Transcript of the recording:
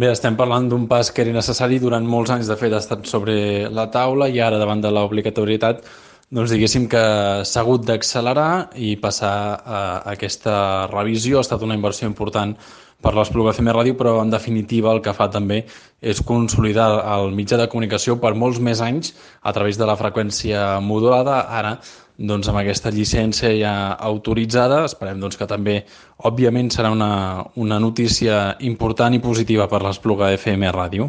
Bé, estem parlant d'un pas que era necessari durant molts anys, de fet, ha estat sobre la taula i ara, davant de l'obligatorietat, doncs diguéssim que s'ha hagut d'accelerar i passar a aquesta revisió. Ha estat una inversió important per l'Espluga FM Ràdio, però en definitiva el que fa també és consolidar el mitjà de comunicació per molts més anys a través de la freqüència modulada. Ara, doncs, amb aquesta llicència ja autoritzada, esperem doncs, que també, òbviament, serà una notícia important i positiva per l'Espluga FM Ràdio.